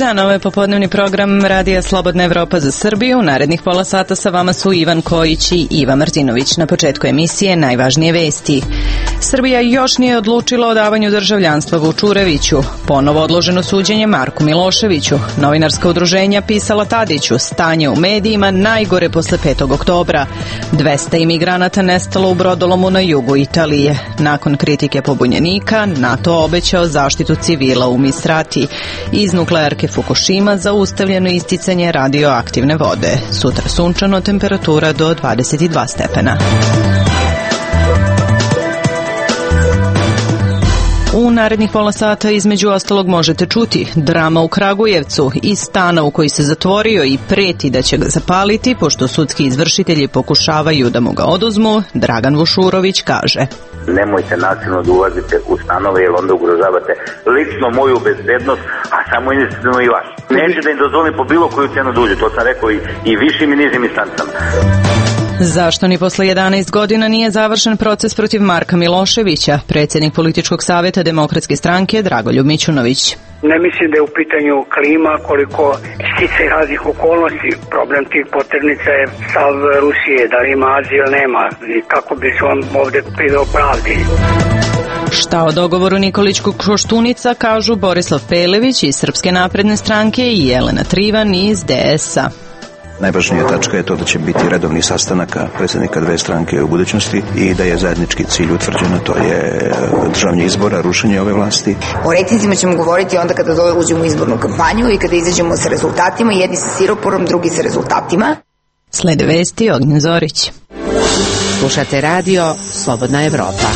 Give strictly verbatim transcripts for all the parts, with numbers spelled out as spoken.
dan, ovo je popodnevni program Radija Slobodna Evropa za Srbiju. U narednih pola sata sa vama su Ivan Kojić i Iva Martinović. Na početku emisije najvažnije vesti. Srbija još nije odlučila o davanju državljanstva Vučureviću. Ponovo odloženo suđenje Marku Miloševiću. Novinarska udruženja pisala Tadiću. Stanje u medijima najgore posle petog oktobra. dvesta imigranata nestalo u brodolomu na jugu Italije. Nakon kritike pobunjenika, NATO obećao zaštitu civila u Misrati. Iz nuklearke Fukushima zaustavljeno isticanje radioaktivne vode. Sutra sunčano, temperatura do dvadeset dva stepena. U narednih pola sata između ostalog možete čuti drama u Kragujevcu, iz stana u koji se zatvorio i preti da će ga zapaliti, pošto sudski izvršitelji pokušavaju da mu ga oduzmu, Dragan Vušurović kaže: nemojte nasilno da ulazite u stanove jer onda ugrožavate lično moju bezbednost, a samo inicijativno i vaš. Neće da im dozvolim po bilo koju cenu da uđe, to sam rekao i, i višim i nižim instancama. Zašto ni posle jedanaest godina nije završen proces protiv Marka Miloševića? Predsjednik političkog savjeta Demokratske stranke Dragoljub Mićunović. Ne mislim da je u pitanju klima, koliko sticaj raznih okolnosti. Problem tih poternica je stav Rusije, da li ima azil, nema, i kako bi se on ovde priveo pravdi. Šta o dogovoru Nikolićkog Koštunica kažu Borislav Pelević iz Srpske napredne stranke i Jelena Trivan iz D S A. Najvažnija tačka je to da će biti redovni sastanaka predsjednika dve stranke u budućnosti i da je zajednički cilj utvrđeno, to je državanje izbora, rušenje ove vlasti. O rejtinzima ćemo govoriti onda kada uđemo u izbornu kampanju i kada izađemo sa rezultatima, jedni sa siroporom, drugi sa rezultatima. Slede vesti, Ognjen Zorić. Slušate radio Slobodna Evropa.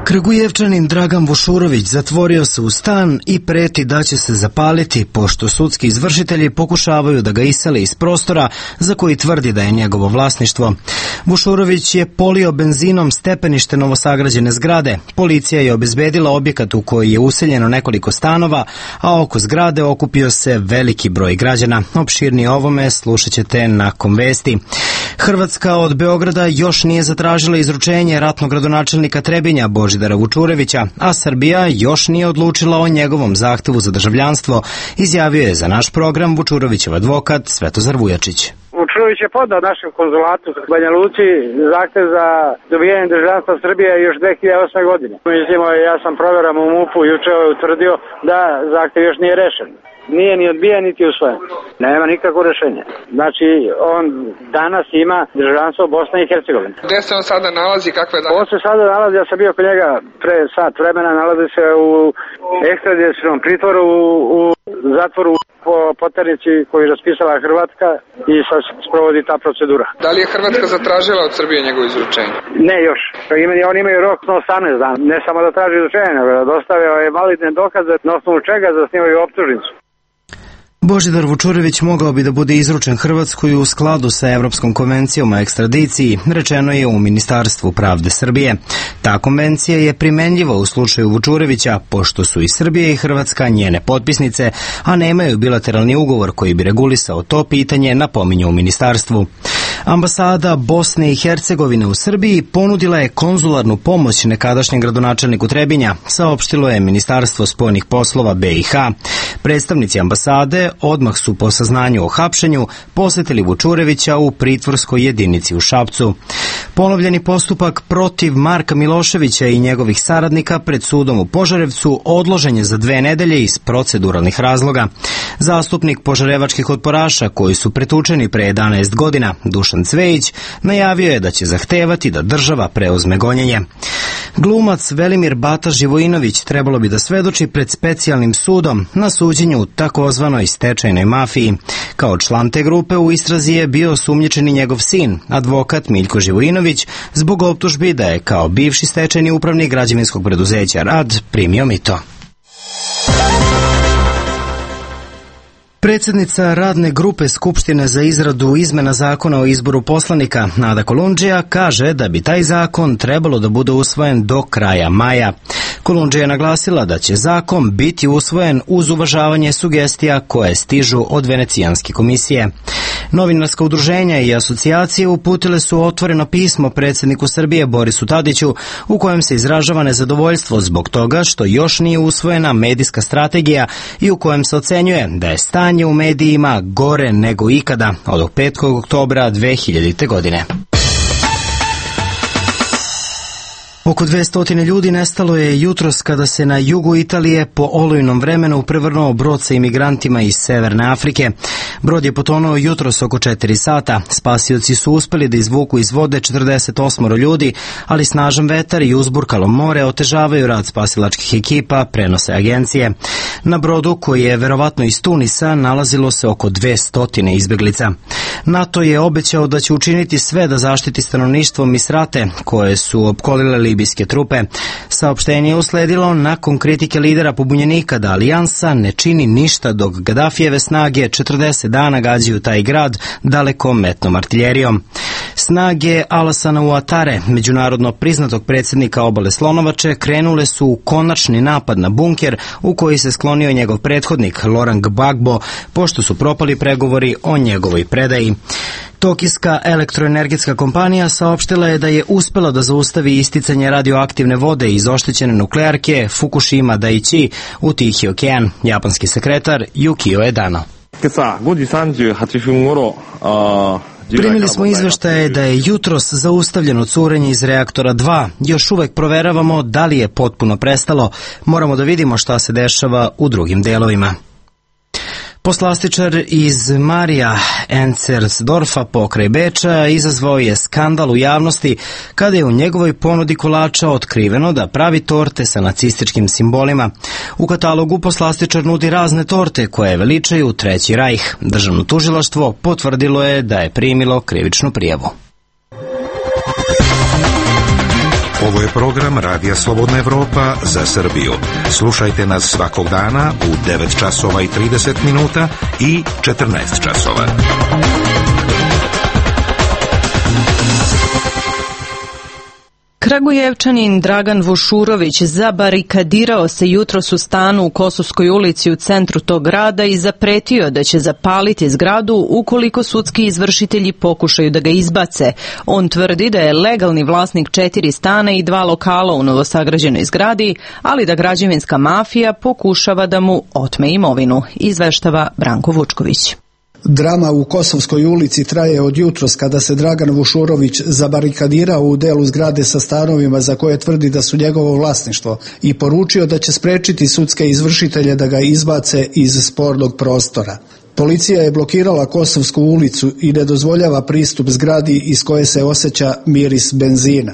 Kragujevčanin Dragan Vušurović zatvorio se u stan i preti da će se zapaliti, pošto sudski izvršitelji pokušavaju da ga isele iz prostora za koji tvrdi da je njegovo vlasništvo. Vušurović je polio benzinom stepenište novosagrađene zgrade. Policija je obezbedila objekat u koji je useljeno nekoliko stanova, a oko zgrade okupio se veliki broj građana. Opširnije ovome slušat ćete nakon vesti. Hrvatska od Beograda još nije zatražila izručenje ratnog gradonačelnika Trebinja Božidara Vučurevića, a Srbija još nije odlučila o njegovom zahtevu za državljanstvo, izjavio je za naš program Vučurovićev advokat Svetozar Vujačić. Vučurović je podao našem konzulatu u Banja Luci zahtev za dobijanje državljanstva Srbije još dve hiljade osme. godine. Mislimo, ja sam proveram u MUP-u, juče je utvrdio da zahtev još nije rešen. Nije ni odbijen, niti usvojen. Nema nikakvo rešenje. Znači, on danas ima državljanstvo Bosne i Hercegovine. Gde se on sada nalazi? Kakve da... On se sada nalazi, ja sam bio kod njega pre sat vremena, nalazi se u ekstradicionalnom pritvoru, u, u zatvoru po poternici koju je raspisala Hrvatska i sad sprovodi ta procedura. Da li je Hrvatska zatražila od Srbije njegovo izručenje? Ne još. On imaju rok na osamnaest dana. Ne samo da traži izručenje, nego da dostave validne dokaze na osnovu čega zasnivaju optužnicu. Božidar Vučurević mogao bi da bude izručen Hrvatskoj u skladu sa Evropskom konvencijom o ekstradiciji, rečeno je u Ministarstvu pravde Srbije. Ta konvencija je primenljiva u slučaju Vučurevića, pošto su i Srbija i Hrvatska njene potpisnice, a nemaju bilateralni ugovor koji bi regulisao to pitanje, napominju u Ministarstvu. Ambasada Bosne i Hercegovine u Srbiji ponudila je konzularnu pomoć nekadašnjem gradonačelniku Trebinja, saopštilo je Ministarstvo spoljnih poslova B i H. Predstavnici ambasade odmah su po saznanju o hapšenju posetili Vučurevića u pritvorskoj jedinici u Šapcu. Ponovljeni postupak protiv Marka Miloševića i njegovih saradnika pred sudom u Požarevcu odložen je za dve nedelje iz proceduralnih razloga. Zastupnik požarevačkih otporaša koji su pretučeni pre jedanaest godina, Dušan Cvejić, najavio je da će zahtevati da država preuzme gonjenje. Glumac Velimir Bata Živojinović trebalo bi da svedoči pred specijalnim sudom na suđenju u takozvanoj stečajnoj mafiji. Kao član te grupe u istrazi je bio osumnjičeni njegov sin, advokat Miljko Živojinović, zbog optužbi da je kao bivši stečajni upravnik građevinskog preduzeća Rad primio mito. Predsjednica radne grupe Skupštine za izradu izmena zakona o izboru poslanika, Nada Kolundžija, kaže da bi taj zakon trebalo da bude usvojen do kraja maja. Kolundžija je naglasila da će zakon biti usvojen uz uvažavanje sugestija koje stižu od Venecijanske komisije. Novinarska udruženja i asocijacije uputile su otvoreno pismo predsjedniku Srbije Borisu Tadiću u kojem se izražava nezadovoljstvo zbog toga što još nije usvojena medijska strategija i u kojem se ocenjuje da je stanje u medijima gore nego ikada od petog oktobra dve hiljadite. godine. Oko dvesta ljudi nestalo je jutros kada se na jugu Italije po olujnom vremenu prevrnuo brod sa imigrantima iz Severne Afrike. Brod je potonuo jutros oko četiri sata. Spasioci su uspeli da izvuku iz vode četrdeset osam ljudi, ali snažan vetar i uzburkalo more otežavaju rad spasilačkih ekipa, prenose agencije. Na brodu, koji je verovatno iz Tunisa, nalazilo se oko dvesta izbeglica. NATO je obećao da će učiniti sve da zaštiti stanovništvo Misrate, koje su opkolile libijske trupe. Saopštenje je usledilo nakon kritike lidera pobunjenika da alijansa ne čini ništa dok Gadafijeve snage četrdeset dana gađaju taj grad dalekometnom artiljerijom. Snage Alassana Ouattare, međunarodno priznatog predsjednika obale Slonovače, krenule su u konačni napad na bunker u koji se sklonio njegov prethodnik Laurent Gbagbo, pošto su propali pregovori o njegovoj predaji. Tokijska elektroenergetska kompanija saopštila je da je uspela da zaustavi isticanje radioaktivne vode iz oštećene nuklearke Fukushima Daiichi u Tihi okean. Japanski sekretar Yukio Edano. Primili smo izveštaje da je jutros zaustavljeno curenje iz reaktora dva. Još uvek proveravamo da li je potpuno prestalo. Moramo da vidimo šta se dešava u drugim delovima. Poslastičar iz Marija Encersdorfa pokraj Beča izazvao je skandal u javnosti kada je u njegovoj ponudi kolača otkriveno da pravi torte sa nacističkim simbolima. U katalogu poslastičar nudi razne torte koje veličaju Treći rajh. Državno tužilaštvo potvrdilo je da je primilo krivičnu prijavu. Ovo je program Radija Slobodna Evropa za Srbiju. Slušajte nas svakog dana u devet časova i trideset minuta i četrnaest časova. Kragujevčanin Dragan Vušurović zabarikadirao se jutros u stanu u Kosovskoj ulici u centru tog grada i zapretio da će zapaliti zgradu ukoliko sudski izvršitelji pokušaju da ga izbace. On tvrdi da je legalni vlasnik četiri stana i dva lokala u novosagrađenoj zgradi, ali da građevinska mafija pokušava da mu otme imovinu, izveštava Branko Vučković. Drama u Kosovskoj ulici traje od jutros kada se Dragan Vušurović zabarikadirao u delu zgrade sa stanovima za koje tvrdi da su njegovo vlasništvo i poručio da će sprečiti sudske izvršitelje da ga izbace iz spornog prostora. Policija je blokirala Kosovsku ulicu i ne dozvoljava pristup zgradi iz koje se osjeća miris benzina.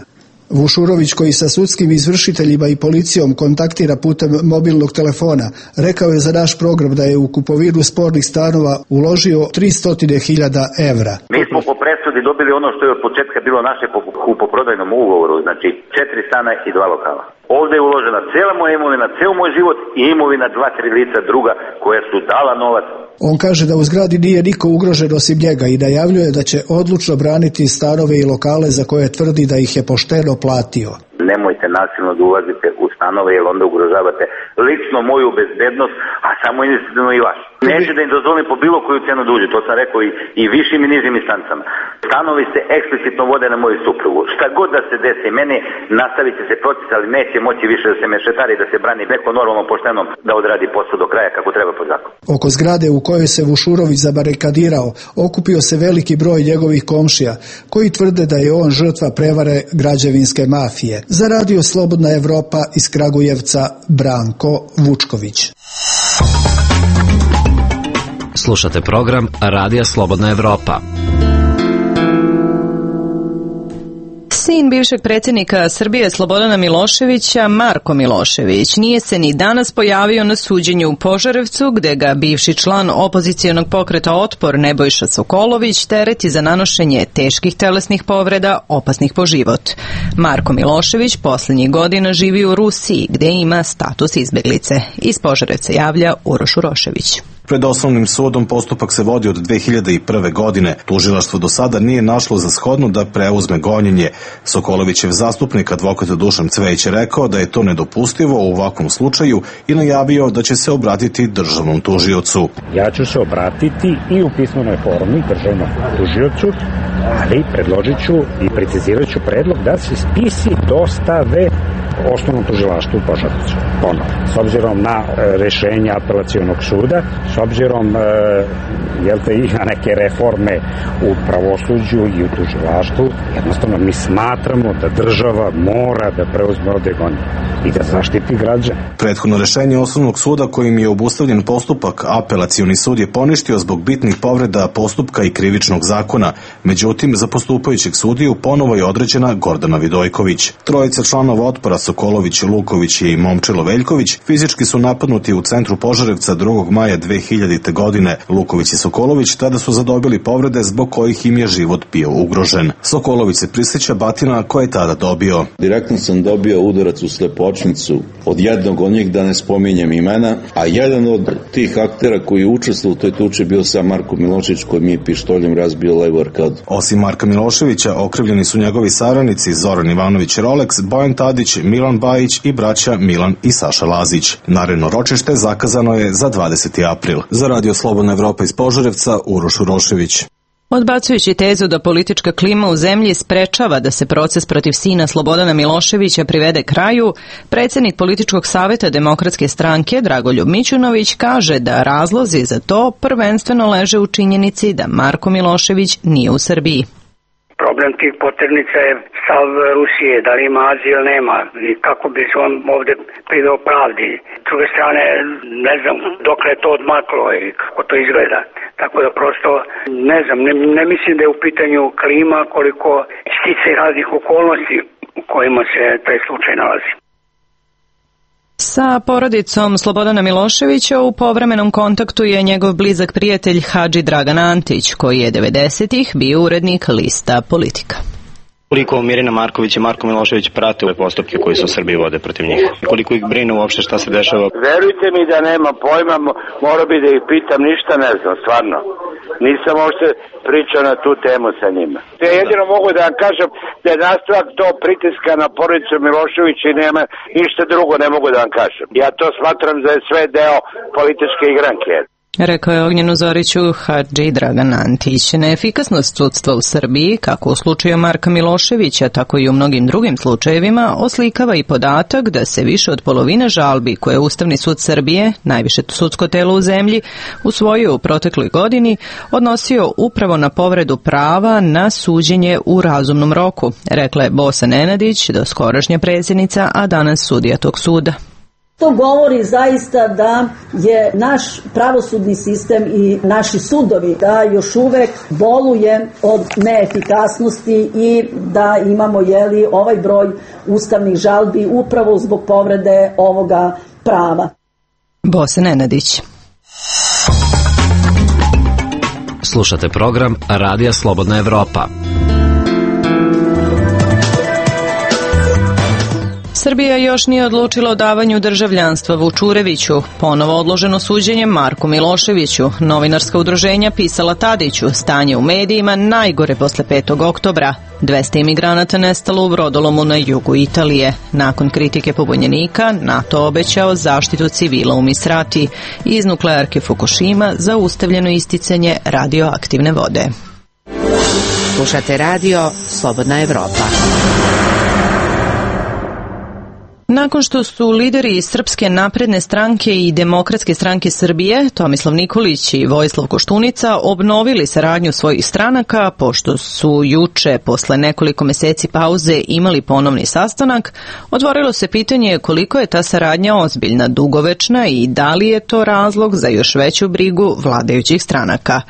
Vušurović, koji sa sudskim izvršiteljima i policijom kontaktira putem mobilnog telefona, rekao je za naš program da je u kupovinu spornih stanova uložio tristo hiljada evra. Mi smo po presudi dobili ono što je od početka bilo naše po kupoprodajnom ugovoru, znači četiri stana i dva lokala. Ovdje je uložena cijela moja imovina, cijel moj život i imovina dva, tri lica druga koja su dala novac. On kaže da u zgradi nije niko ugrožen osim njega i najavljuje da će odlučno braniti stanove i lokale za koje tvrdi da ih je pošteno platio. Nemojte nasilno da ulazite u stanove jer onda ugrožavate lično moju bezbednost, a samo investitivno i vaš. Neće da im dozvolim po bilo koju cenu da uđu, to sam rekao i, i višim i nižim instancama. Stanovi se eksplicitno vode na moju suprugu. Šta god da se desi meni, nastavit će se proces, ali neće moći više da se mešetari, da se brani neko normalno pošteno da odradi posao do kraja kako treba po zakonu. Oko zgrade u kojoj se Vušurović zabarikadirao okupio se veliki broj njegovih komšija koji tvrde da je on žrtva prevare građevinske mafije. Za Radio Slobodna Evropa iz Kragujevca, Branko Vučković. Slušate program Radija Slobodna Evropa. Sin bivšeg predsjednika Srbije Slobodana Miloševića, Marko Milošević, nije se ni danas pojavio na suđenju u Požarevcu, gde ga bivši član opozicijonog pokreta Otpor Nebojša Sokolović tereti za nanošenje teških telesnih povreda opasnih po život. Marko Milošević posljednjih godina živi u Rusiji, gde ima status izbeglice. Iz Požarevca javlja Uroš Urošević. Pred osnovnim sudom postupak se vodi od dve hiljade prve. godine. Tužilaštvo do sada nije našlo za shodno da preuzme gonjenje. Sokolovićev zastupnik, advokat Dušan Cvejić, je rekao da je to nedopustivo u ovakvom slučaju i najavio da će se obratiti državnom tužiocu. Ja ću se obratiti i u pismenoj formi državnom tužiocu, ali predložit ću i precizirat ću predlog da se spisi dostave osnovnom tužilaštvu u Požarevcu. Ponovno, s obzirom na e, rešenja apelacionog suda, s obzirom e, jel te, i na neke reforme u pravosuđu i u tužilaštvu, jednostavno mi smatramo da država mora da preuzme ovde gonjenje i da zaštiti građane. Prethodno rešenje osnovnog suda kojim je obustavljen postupak, apelacioni sud je poništio zbog bitnih povreda postupka i krivičnog zakona. Međutim, za postupajućeg sudiju ponovo je određena Gordana Vidojković. Trojica članova otpora Sokolović, Luković i Momčilo Veljković fizički su napadnuti u centru Požarevca drugog maja dve hiljadite. godine. Luković i Sokolović tada su zadobili povrede zbog kojih im je život bio ugrožen. Sokolović se prisjeća batina koje je tada dobio. Direktno sam dobio udarac u slepočnicu od jednog od njih, da ne spominjem imena, a jedan od tih aktera koji je učestvovao u toj tuči bio sam Marko Milošević, koji mi je pištoljem razbio levu arkadu. Osim Marka Miloševića, okrivljeni su njegovi saradnici Zoran Ivanović Rolex, Bojan Tadić, Milan Bajić i braća Milan i Saša Lazić. Naredno ročište zakazano je za dvadeseti april. Za Radio Slobodna Evropa iz Požarevca, Uroš Urošević. Odbacujući tezu da politička klima u zemlji sprečava da se proces protiv sina Slobodana Miloševića privede kraju, predsjednik političkog saveta Demokratske stranke Dragoljub Mićunović kaže da razlozi za to prvenstveno leže u činjenici da Marko Milošević nije u Srbiji. Problem tih poternica je stav Rusije, da li ima azil ili nema i kako bi se on ovde priveo pravdi. S druge strane, ne znam dokle je to odmaklo i kako to izgleda. Tako da prosto, ne znam, ne, ne mislim da je u pitanju klima koliko sticaj raznih okolnosti u kojima se taj slučaj nalazi. Sa porodicom Slobodana Miloševića u povremenom kontaktu je njegov blizak prijatelj Hadži Dragan Antić, koji je devedesetih bio urednik lista Politika. Koliko Mirina Marković i Marko Milošević prate ove postupke koji se u Srbiji vode protiv njih? Koliko ih brine uopšte šta se dešava? Verujte mi da nema pojma, mora bi da ih pitam, ništa ne znam, stvarno. Nisam uopšte pričao na tu temu sa njima. Ja jedino mogu da vam kažem da je nastavak to pritiska na porodicu Miloševića i nema ništa drugo, ne mogu da vam kažem. Ja to smatram da je sve deo političke igranke. Rekao je Ognjenu Zoriću Hadži Dragan Antić. Neefikasnost sudstva u Srbiji, kako u slučaju Marka Miloševića, tako i u mnogim drugim slučajevima, oslikava i podatak da se više od polovine žalbi koje je Ustavni sud Srbije, najviše sudsko telo u zemlji, usvojio u protekloj godini, odnosio upravo na povredu prava na suđenje u razumnom roku, rekla je Bosa Nenadić, doskorašnja predsjednica, a danas sudija tog suda. To govori zaista da je naš pravosudni sistem i naši sudovi da još uvek boluje od neefikasnosti i da imamo jeli, ovaj broj ustavnih žalbi upravo zbog povrede ovoga prava. Bosa Nenadić. Slušate program Radija Slobodna Evropa. Srbija još nije odlučila o davanju državljanstva Vučureviću, ponovo odloženo suđenje Marku Miloševiću, novinarska udruženja pisala Tadiću, stanje u medijima najgore posle petog oktobra, dvesta imigranata nestalo u brodolomu na jugu Italije. Nakon kritike pobunjenika, NATO obećao zaštitu civila u Misrati i iz nuklearke Fukushima zaustavljeno isticanje radioaktivne vode. Slušate radio Slobodna Evropa. Nakon što su lideri Srpske napredne stranke i Demokratske stranke Srbije, Tomislav Nikolić i Vojislav Koštunica, obnovili saradnju svojih stranaka, pošto su juče, posle nekoliko meseci pauze, imali ponovni sastanak, otvorilo se pitanje koliko je ta saradnja ozbiljna, dugovečna i da li je to razlog za još veću brigu vladajućih stranaka.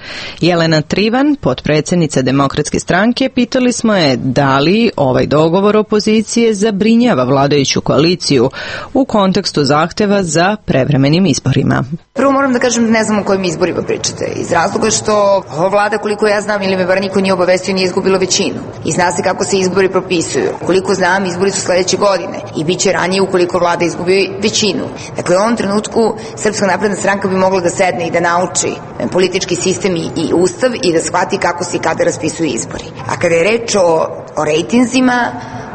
Jelena Trivan, potpredsjednica Demokratske stranke, pitali smo je da li ovaj dogovor opozicije zabrinjava vladajuću koaliciju koaliciju u kontekstu zahteva za prevremenim izborima. Prvo moram da kažem, ne znam o kojim izborima pričate. Iz razloga što ova vlada, koliko ja znam, ili me bar niko nije obavestio, nije izgubila većinu. I zna se kako se izbori propisuju. Koliko znam, izbori su sledeće godine i bit će ranije ukoliko vlada izgubi većinu. Dakle, u ovom trenutku Srpska napredna stranka bi mogla da sedne i da nauči politički sistem i, i ustav i da shvati kako se i kada raspisuju izbori. A kada je reč o, o rejtinzima,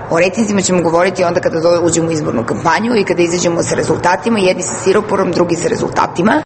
o rejtinzima ćemo govoriti onda kada uđemo u izbornu kampanju i kada izađemo sa rezultatima, jedni sa siroporom, drugi sa rezultatima.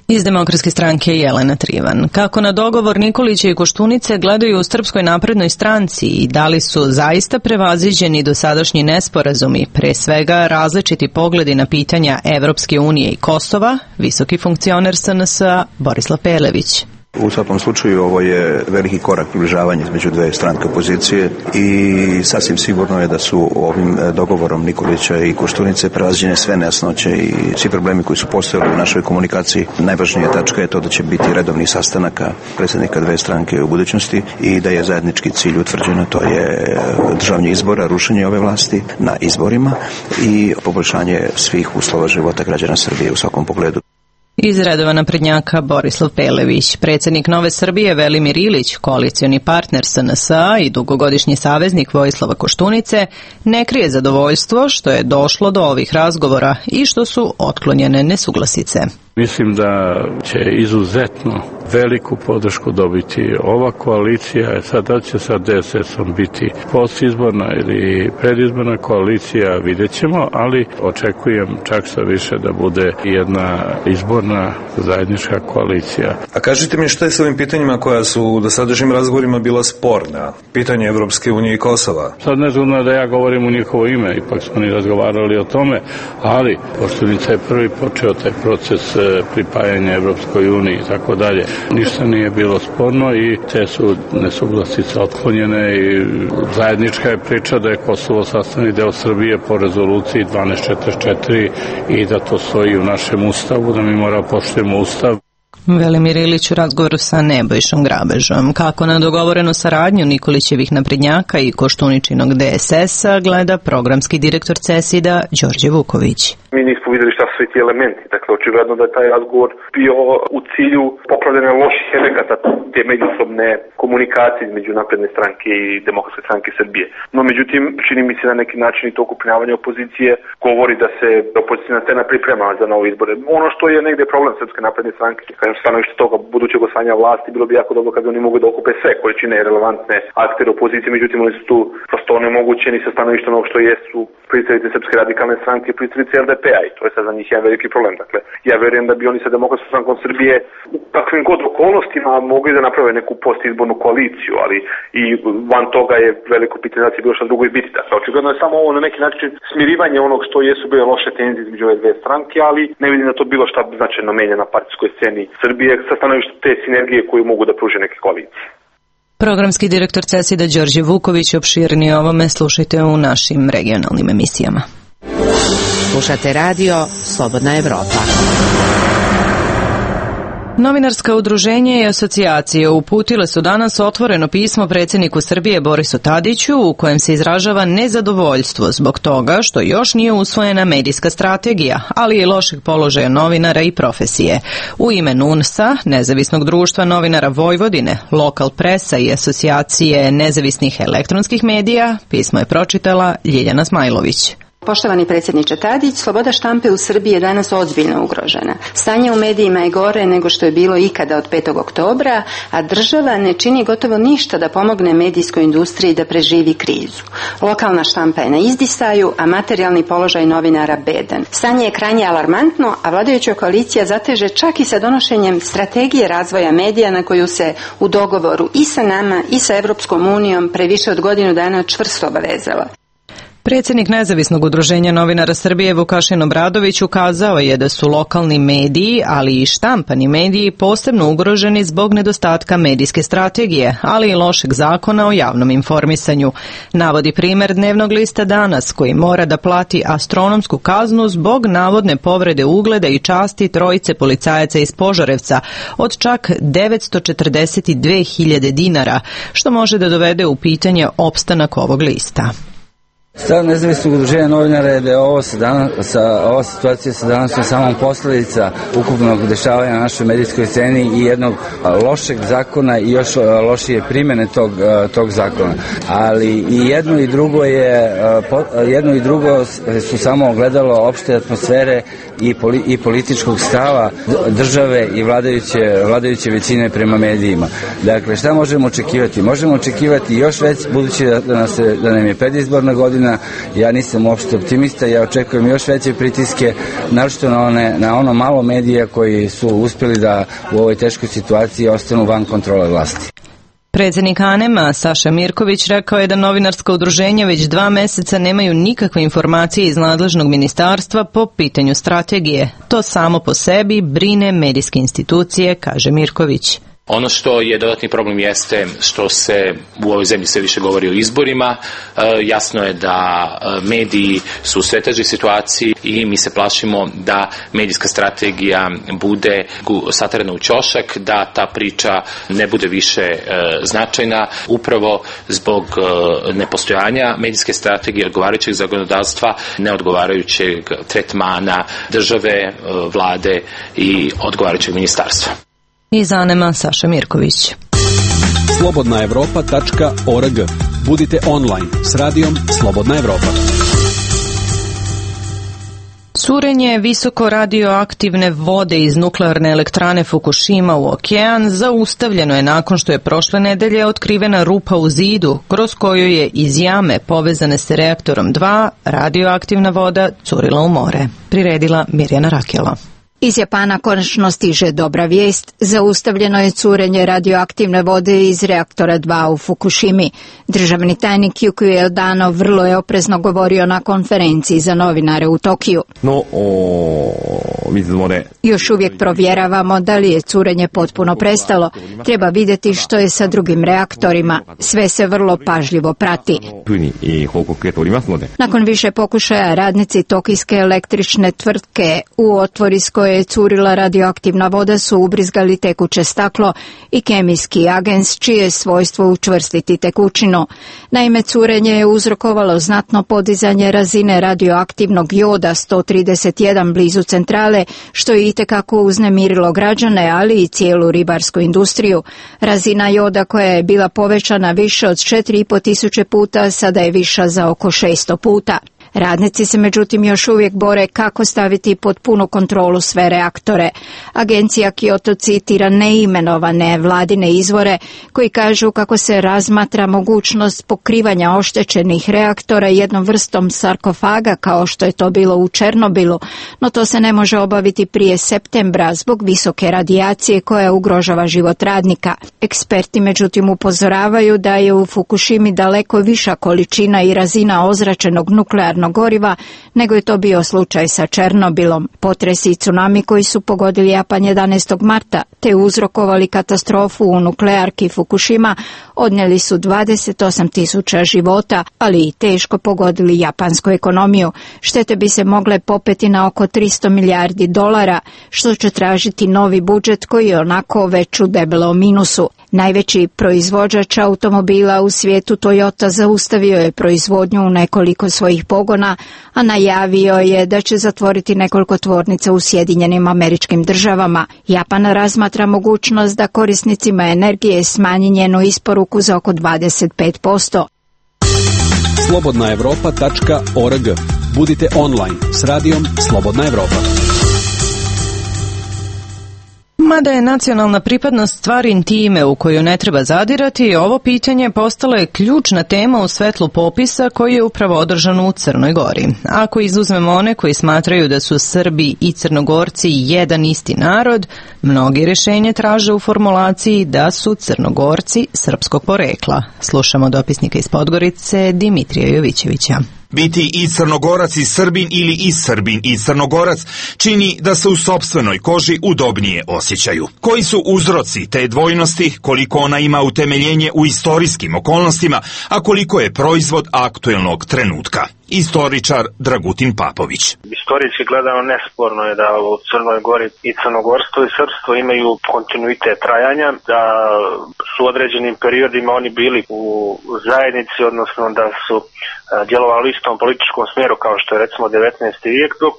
Iz Demokratske stranke Jelena Trivan. Kako na dogovor Nikolića i Koštunice gledaju u Srpskoj naprednoj stranci i da li su zaista prevaziđeni dosadašnji nesporazumi, pre svega različiti pogledi na pitanja Evropske unije i Kosova, visoki funkcioner S N S-a Borislav Pelević. U svakom slučaju ovo je veliki korak približavanja između dve stranke opozicije i sasvim sigurno je da su ovim dogovorom Nikolića i Koštunice prevaziđene sve nejasnoće i svi problemi koji su postojali u našoj komunikaciji. Najvažnija tačka je to da će biti redovni sastanaka predsjednika dve stranke u budućnosti i da je zajednički cilj utvrđeno, to je državanje izbora, rušenje ove vlasti na izborima i poboljšanje svih uslova života građana Srbije u svakom pogledu. Iz redova naprednjaka Borislav Pelević, predsjednik Nove Srbije Velimir Ilić, koalicioni partner S N S-a i dugogodišnji saveznik Vojislava Koštunice, ne krije zadovoljstvo što je došlo do ovih razgovora i što su otklonjene nesuglasice. Mislim da će izuzetno veliku podršku dobiti ova koalicija. Sad da će sa D S S-om biti postizborna ili predizborna koalicija, vidjet ćemo, ali očekujem čak sa više da bude jedna izborna zajednička koalicija. A kažite mi šta je s ovim pitanjima koja su u dosadašnjim razgovorima bila sporna? Pitanje Evropske unije i Kosova. Sad ne znam da ja govorim u njihovo ime, ipak smo ni razgovarali o tome, ali Koštunica je prvi počeo taj proces pripajanja Evropskoj uniji i tako dalje. Ništa nije bilo sporno i te su nesuglasice otklonjene i zajednička je priča da je Kosovo sastavni deo Srbije po rezoluciji dvanaest četrdeset četiri i da to stoji u našem ustavu, da mi mora poštujemo ustav. Velimir Ilić u razgovoru sa Nebojšom Grabežom. Kako na dogovorenu saradnju Nikolićevih naprednjaka i Koštuničinog D S S-a gleda programski direktor CESID-a Đorđe Vuković. Mi nismo videli šta su svi ti elementi, dakle očigledno da je taj razgovor bio u cilju popravljanja loših efekata te međusobne komunikacije između napredne stranke i Demokratske stranke Srbije. No međutim, čini mi se na neki način i to okupljavanje opozicije govori da se opozicijna scena priprema za nove izbore. Ono što je negde problem Srpske napredne stranke, kažem stanovište toga budućeg osvajanja vlasti, bilo bi jako dobro kad oni mogu da okupe sve koji čine relevantne aktere opozicije, međutim oni su tu prosto onemogućeni sa stanovišta onog što jesu predstavnici Srpske radikalne stranke i predstavnici L D P-a i to je sad za njih jedan veliki problem. Dakle, ja verujem da bi oni sa Demokratskom strankom Srbije u takvim god okolnostima mogli da naprave neku postizbornu koaliciju, ali i van toga je veliko pitanje da će bilo šta drugo i biti. Dakle, očigledno je samo ovo na neki način smirivanje onog što jesu bile loše tenzije između ove dve stranke, ali ne vidim da to bilo šta značajno menja na partijskoj sceni Srbije sa stanovišta te sinergije koju mogu da pruže neke koalicije. Programski direktor CESID-a Đorđe Vuković, opširnije o ovome slušajte u našim regionalnim emisijama. Slušate radio Slobodna Evropa. Novinarska udruženja i asocijacije uputile su danas otvoreno pismo predsjedniku Srbije Borisu Tadiću u kojem se izražava nezadovoljstvo zbog toga što još nije usvojena medijska strategija, ali i lošeg položaja novinara i profesije. U ime N U N S-a, Nezavisnog društva novinara Vojvodine, Lokal presa i asocijacije nezavisnih elektronskih medija, pismo je pročitala Ljiljana Smajlović. Poštovani predsjedniče Tadić, sloboda štampe u Srbiji je danas ozbiljno ugrožena. Stanje u medijima je gore nego što je bilo ikada od petog oktobra, a država ne čini gotovo ništa da pomogne medijskoj industriji da preživi krizu. Lokalna štampa je na izdisaju, a materijalni položaj novinara bedan. Stanje je krajnje alarmantno, a vladajuća koalicija zateže čak i sa donošenjem strategije razvoja medija na koju se u dogovoru i sa nama i sa Evropskom unijom pre više od godinu dana čvrsto obavezala. Predsjednik Nezavisnog udruženja novinara Srbije Vukašin Obradović ukazao je da su lokalni mediji, ali i štampani mediji posebno ugroženi zbog nedostatka medijske strategije, ali i lošeg zakona o javnom informisanju. Navodi primjer dnevnog lista Danas, koji mora da plati astronomsku kaznu zbog navodne povrede ugleda i časti trojice policajaca iz Požarevca od čak devetsto četrdeset dve hiljade dinara, što može da dovede u pitanje opstanak ovog lista. Stav nezavisnog udruženja novinara je da je ovo sa danas, sa, ova situacija sa današnjom samom posledica ukupnog dešavanja na našoj medijskoj sceni i jednog lošeg zakona i još lošije primjene tog, tog zakona. Ali i jedno i drugo je jedno i drugo su samo ogledalo opšte atmosfere i, poli, i političkog stava države i vladajuće, vladajuće većine prema medijima. Dakle, šta možemo očekivati? Možemo očekivati još već, budući da, da, nas je, da nam je predizborna godina, ja nisam uopšte optimista, ja očekujem još veće pritiske, naročito na, one, na ono malo medija koji su uspjeli da u ovoj teškoj situaciji ostanu van kontrole vlasti. Predsjednik Anema Saša Mirković rekao je da novinarska udruženja već dva meseca nemaju nikakve informacije iz nadležnog ministarstva po pitanju strategije. To samo po sebi brine medijske institucije, kaže Mirković. Ono što je dodatni problem jeste što se u ovoj zemlji sve više govori o izborima. E, jasno je da mediji su u sve težoj situaciji i mi se plašimo da medijska strategija bude satarana u ćošak, da ta priča ne bude više e, značajna upravo zbog e, nepostojanja medijske strategije, odgovarajućeg zakonodavstva, neodgovarajućeg tretmana države, e, vlade i odgovarajućeg ministarstva. Iz Anema Saša Mirković. slobodna evropa tačka org. Budite online s radijom Slobodna Evropa. Curenje visoko radioaktivne vode iz nuklearne elektrane Fukushima u okean zaustavljeno je nakon što je prošle nedelje otkrivena rupa u zidu kroz koju je iz jame povezane s reaktorom dva radioaktivna voda curila u more. Priredila Mirjana Rakela. Iz Japana konačno stiže dobra vijest. Zaustavljeno je curenje radioaktivne vode iz reaktora dva u Fukushimi. Državni tajnik Yukio Eldano vrlo je oprezno govorio na konferenciji za novinare u Tokiju. No, o, Još uvijek provjeravamo da li je curenje potpuno prestalo. Treba vidjeti što je sa drugim reaktorima. Sve se vrlo pažljivo prati. Nakon više pokušaja radnici tokijske električne tvrtke u otvor iz koje je curila radioaktivna voda su ubrizgali tekuće staklo i kemijski agens čije je svojstvo učvrstiti tekućinu. Naime, curenje je uzrokovalo znatno podizanje razine radioaktivnog joda sto trideset jedan blizu centrale, što je itekako uznemirilo građane, ali i cijelu ribarsku industriju. Razina joda koja je bila povećana više od četiri i po tisuće puta, sada je viša za oko šesto puta. Radnici se međutim još uvijek bore kako staviti pod punu kontrolu sve reaktore. Agencija Kyoto citira neimenovane vladine izvore koji kažu kako se razmatra mogućnost pokrivanja oštećenih reaktora jednom vrstom sarkofaga kao što je to bilo u Černobilu, no to se ne može obaviti prije septembra zbog visoke radijacije koja ugrožava život radnika. Eksperti međutim upozoravaju da je u Fukushimi daleko viša količina i razina ozračenog nuklearnog goriva nego je to bio slučaj sa Černobilom. Potresi i tsunami koji su pogodili Japan jedanaestog marta te uzrokovali katastrofu u nuklearki Fukushima odnijeli su dvadeset osam tisuća života, ali i teško pogodili japansku ekonomiju. Štete bi se mogle popeti na oko tristo milijardi dolara, što će tražiti novi budžet koji je onako već u debelom minusu. Najveći proizvođač automobila u svijetu Toyota zaustavio je proizvodnju u nekoliko svojih pogona, a najavio je da će zatvoriti nekoliko tvornica u Sjedinjenim Američkim Državama. Japan razmatra mogućnost da korisnicima energije smanji njenu isporuku za oko dvadeset pet posto. slobodna evropa tačka org. Budite online s radijom Slobodna Evropa. Mada je nacionalna pripadnost stvar intime u koju ne treba zadirati, ovo pitanje postalo je ključna tema u svetlu popisa koji je upravo održan u Crnoj Gori. Ako izuzmemo one koji smatraju da su Srbi i Crnogorci jedan isti narod, mnogi rješenje traže u formulaciji da su Crnogorci srpskog porekla. Slušamo dopisnika iz Podgorice Dimitrija Jovićevića. Biti i Crnogorac i Srbin ili i Srbin i Crnogorac čini da se u sopstvenoj koži udobnije osjećaju. Koji su uzroci te dvojnosti, koliko ona ima utemeljenje u istorijskim okolnostima, a koliko je proizvod aktuelnog trenutka? Istoričar Dragutin Papović. Istorijski gledano nesporno je da u Crnoj Gori i crnogorstvo i srpstvo imaju kontinuitet trajanja, da su u određenim periodima oni bili u zajednici, odnosno da su djelovali u istom političkom smjeru kao što je recimo devetnaesti vijek, dok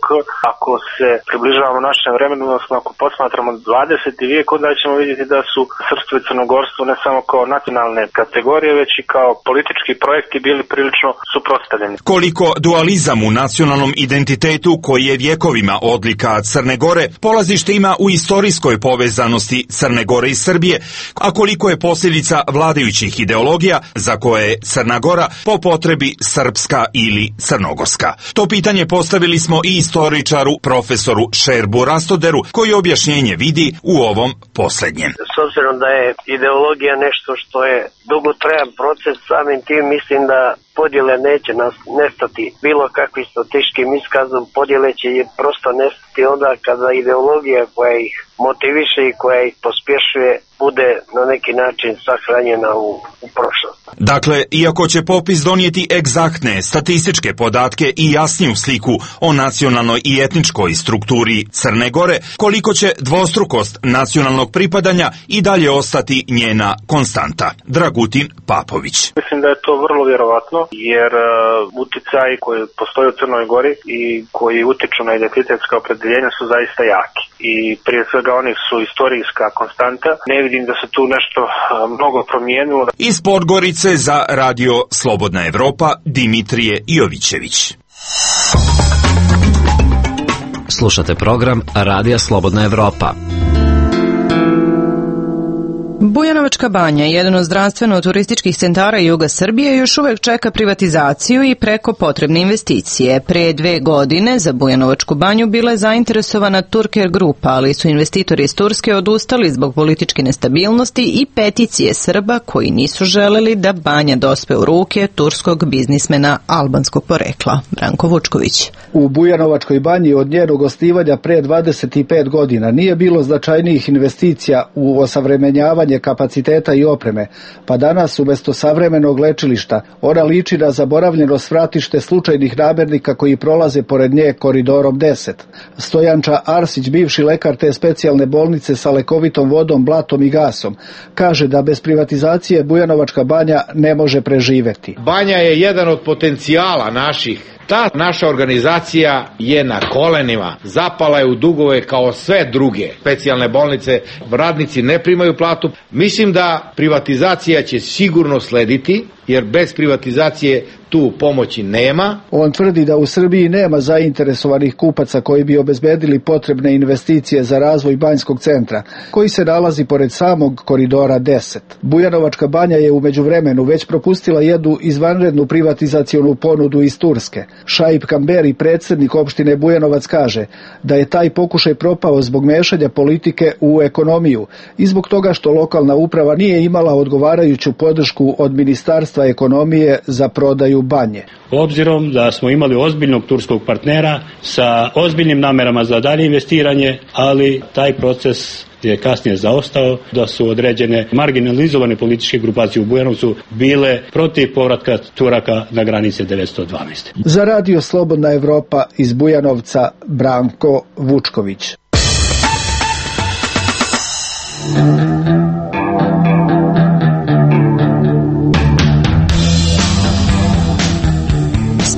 ako se približavamo našem vremenu, odnosno ako posmatramo dvadeseti vijek, onda ćemo vidjeti da su srpstvo i crnogorstvo ne samo kao nacionalne kategorije, već i kao politički projekti bili prilično suprotstavljeni. Koliko dualizam u nacionalnom identitetu, koji je vjekovima odlika Crne Gore, polazište ima u istorijskoj povezanosti Crne Gore i Srbije, a koliko je posljedica vladajućih ideologija za koje je Crna Gora po potrebi srpska ili crnogorska. To pitanje postavili smo i istoričaru profesoru Šerbu Rastoderu, koji objašnjenje vidi u ovom posljednjem. S obzirom da je ideologija nešto što je dugotrajan proces, samim tim mislim da podjele neće nas nestati bilo kakvim strateškim iskazom, podjele će je prosto nestati onda kada ideologija koja ih motiviše i koja ih pospješuje bude na neki način sahranjena u, u prošlost. Dakle, iako će popis donijeti egzaktne statističke podatke i jasniju sliku o nacionalnoj i etničkoj strukturi Crne Gore, koliko će dvostrukost nacionalnog pripadanja i dalje ostati njena konstanta. Dragutin Papović. Mislim da je to vrlo vjerovatno, jer uh, utjecaji koji postoje u Crnoj Gori i koji utiču na identitetska opredjeljenja su zaista jaki. I prije svega oni su istorijska konstanta. Ne vidim da se tu nešto uh, mnogo promijenilo. Iz Podgorice za Radio Slobodna Evropa, Dimitrije Jovićević. Slušate program Radija Slobodna Evropa. Bujanovačka banja, jedan od zdravstveno-turističkih centara juga Srbije, još uvek čeka privatizaciju i preko potrebne investicije. Pre dve godine za Bujanovačku banju bila je zainteresovana Turker grupa, ali su investitori iz Turske odustali zbog političke nestabilnosti i peticije Srba koji nisu želeli da banja dospe u ruke turskog biznismena albanskog porekla. Branko Vučković. U Bujanovačkoj banji od njenog osnivanja pre dvadeset pet godina nije bilo značajnijih investicija u osavremenjavanje kapaciteta i opreme, pa danas umjesto savremenog lečilišta ona liči na zaboravljeno svratište slučajnih namirnika koji prolaze pored nje koridorom deset. Stojanča Arsić, bivši lekar te specijalne bolnice sa lekovitom vodom, blatom i gasom, kaže da bez privatizacije Bujanovačka banja ne može preživeti. Banja je jedan od potencijala naših. Ta naša organizacija je na kolenima, zapala je u dugove kao sve druge specijalne bolnice, radnici ne primaju platu. Mislim da privatizacija će sigurno slediti, jer bez privatizacije tu pomoći nema. On tvrdi da u Srbiji nema zainteresovanih kupaca koji bi obezbedili potrebne investicije za razvoj banjskog centra, koji se nalazi pored samog koridora deset. Bujanovačka banja je u međuvremenu već propustila jednu izvanrednu privatizacionu ponudu iz Turske. Šaip Kamberi, predsjednik opštine Bujanovac, kaže da je taj pokušaj propao zbog mešanja politike u ekonomiju i zbog toga što lokalna uprava nije imala odgovarajuću podršku od Ministarstva ekonomije za prodaju banje. Obzirom da smo imali ozbiljnog turskog partnera sa ozbiljnim namerama za dalje investiranje, ali taj proces je kasnije zaostao, da su određene marginalizovane političke grupacije u Bujanovcu bile protiv povratka Turaka na granice devetsto dvanaeste. Za Radio Slobodna Evropa iz Bujanovca, Branko Vučković.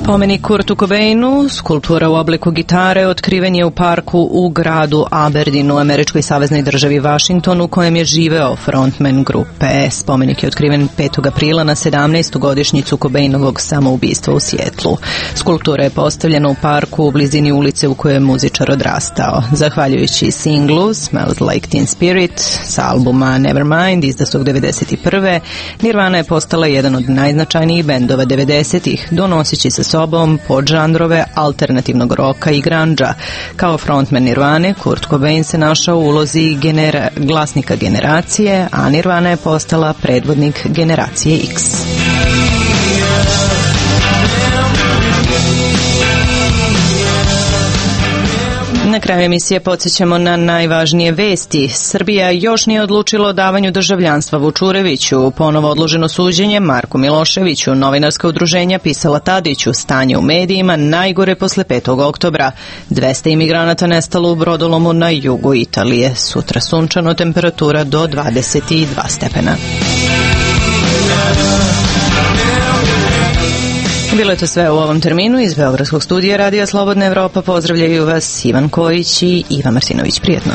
Spomenik Kurtu Cobainu, skulptura u obliku gitare, otkriven je u parku u gradu Aberdeenu, u američkoj saveznoj državi Vašingtonu, u kojem je živeo frontman grupe. Spomenik je otkriven petog aprila na sedamnaestu godišnjicu Cobainovog samoubistva u Sijetlu. Skulptura je postavljena u parku u blizini ulice u kojoj je muzičar odrastao. Zahvaljujući singlu Smells Like Teen Spirit sa albuma Nevermind izdatog devedeset prve. Nirvana je postala jedan od najznačajnijih bendova devedesetih, donoseći sa sobom podžanrove alternativnog roka i grandža. Kao frontman Nirvane, Kurt Cobain se našao u ulozi genera- glasnika generacije, a Nirvana je postala predvodnik generacije X. Na kraju emisije podsjećamo na najvažnije vesti. Srbija još nije odlučila o davanju državljanstva Vučureviću. Ponovo odloženo suđenje Marku Miloševiću. Novinarska udruženja pisala Tadiću. Stanje u medijima najgore posle petog oktobra. dvesta imigranata nestalo u brodolomu na jugu Italije. Sutra sunčano, temperatura do dvadeset dva stepena. Bilo je to sve u ovom terminu. Iz Beogradskog studija Radija Slobodna Evropa pozdravljaju vas Ivan Kojić i Iva Martinović. Prijetno.